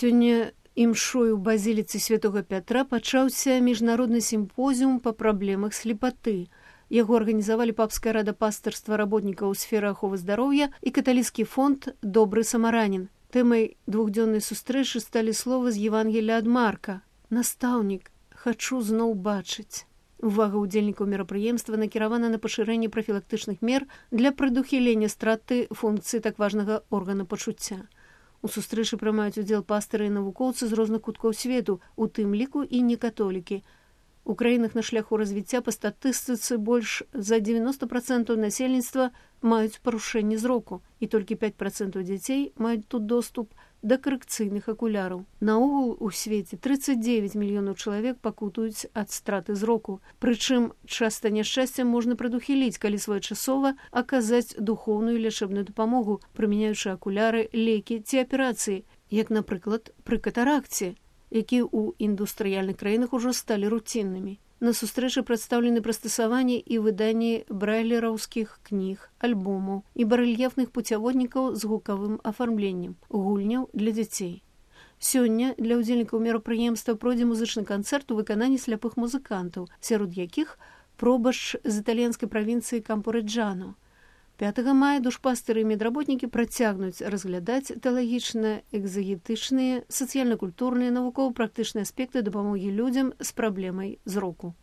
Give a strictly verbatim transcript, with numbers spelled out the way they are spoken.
Сёння імшою ў базіліцы святога Пятра пачаўся міжнародны сімпозіум па праблемах слепаты. Яго арганізавалі папская рада пастырства работнікаў сферы аховы здароўя і каталіцкі фонд «Добры самаранін». Тэмай двухдзённай сустрэчы сталі словы з Евангелія ад Марка. «Настаўнік, хачу зноў бачыць». Увага ўдзельнікаў мерапрыемства накіравана на пашырэнне прафілактычных мер для прадухілення страты функцыі так важнага органа пачуцця. У сустрэчы прымаюць удзел пастыры і навукоўцы з розных куткоў свету, у тым ліку і некатолікі. У краінах на шляху развіцця па статыстыцы больш за дзевяноста працэнтаў насельніцтва маюць парушэнне зроку, і толькі пяць працэнтаў дзяцей маюць тут доступ да карэкцыйных акуляраў. Наогул у свеце трыццаць дзевяць мільёнаў чалавек пакутуюць ад страты зроку. Прычым часта няшчасцем можна прадухіліць, калі своечасова аказаць духоўную лячэбную дапамогу, прымяняючы акуляры, лекі ці аперацыі, як, напрыклад, пры катаракце, якія ў індустрыяльных краінах ужо сталі руціннымі. На сустрэчы прадстаўлены прыстасаванні і выданні брайлераўскіх кніг, альбомаў і барэльефных пуцяводнікаў з гукавым афармленнем, гульняў для дзяцей. Сёння для ўдзельнікаў мерапрыемства пройдзе музычны канцэрт у выкананні сляпых музыкантаў, сярод якіх пробашч з італьянскай правінцыі Кампорэджано. пятага мая душпастыры і медработнікі працягнуць разглядаць тэалагічна экзагетычныя, сацыяльна-культурныя, навукова-практычныя аспекты дапамогі людзям з праблемай зроку.